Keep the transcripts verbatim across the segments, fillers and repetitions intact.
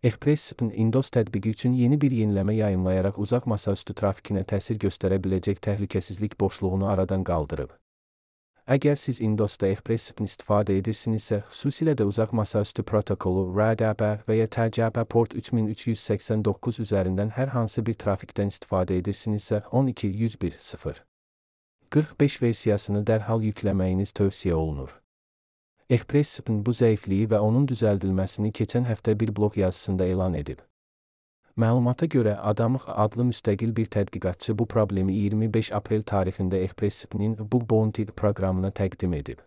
Express-Spin Windows tətbiqi üçün yeni bir yeniləmə yayımlayaraq uzaq masaüstü trafikinə təsir göstərə biləcək təhlükəsizlik boşluğunu aradan qaldırıb. Əgər siz Windowsda Express-Spin istifadə edirsinizsə, xüsusilə də uzaq masaüstü protokolu R D P və ya T C P port üç min üç yüz səksən doqquz üzərindən hər hansı bir trafikdən istifadə edirsinizsə, on iki yüz bir sıfır qırx beş versiyasını dərhal yükləməyiniz tövsiyə olunur. Express-Spin bu zəifliyi və onun düzəldilməsini keçən həftə bir bloq yazısında elan edib. Məlumata görə Adamıq adlı müstəqil bir tədqiqatçı bu problemi iyirmi beş aprel tarixində Express-Spinin Bug Bounty proqramına təqdim edib.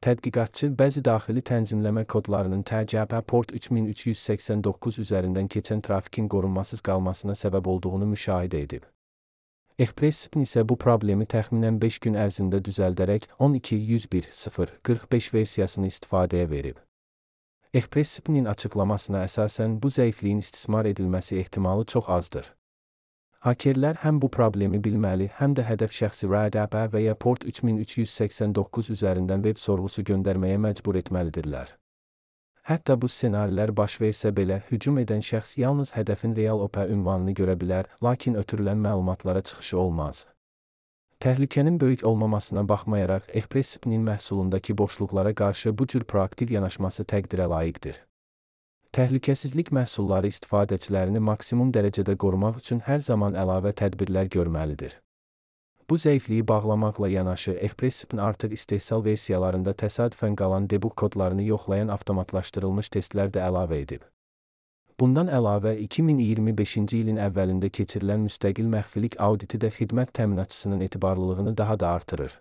Tədqiqatçı bəzi daxili tənzimləmə kodlarının T C P port üç min üç yüz səksən doqquz üzərindən keçən trafikin qorunmasız qalmasına səbəb olduğunu müşahidə edib. Express-Spin isə bu problemi təxminən beş gün ərzində düzəldərək on iki yüz bir sıfır qırx beş versiyasını istifadəyə verib. Express-Spinin açıqlamasına əsasən bu zəifliyin istismar edilməsi ehtimalı çox azdır. Hakerlər həm bu problemi bilməli, həm də hədəf şəxsi R D P və ya port üç min üç yüz səksən doqquz üzərindən veb sorğusu göndərməyə məcbur etməlidirlər. Hətta bu ssenarilər baş versə belə, hücum edən şəxs yalnız hədəfin real O P ünvanını görə bilər, lakin ötürülən məlumatlara çıxışı olmaz. Təhlükənin böyük olmamasına baxmayaraq, Express-Spinin məhsulundakı boşluqlara qarşı bu cür proaktiv yanaşması təqdirə layiqdir. Təhlükəsizlik məhsulları istifadəçilərini maksimum dərəcədə qorumaq üçün hər zaman əlavə tədbirlər görməlidir. Bu zəifliyi bağlamaqla yanaşı, Express-Spin artıq istehsal versiyalarında təsadüfən qalan debug kodlarını yoxlayan avtomatlaşdırılmış testlər də əlavə edib. Bundan əlavə, iki min iyirmi beşinci ilin əvvəlində keçirilən müstəqil məxfilik auditi də xidmət təminatçısının etibarlılığını daha da artırır.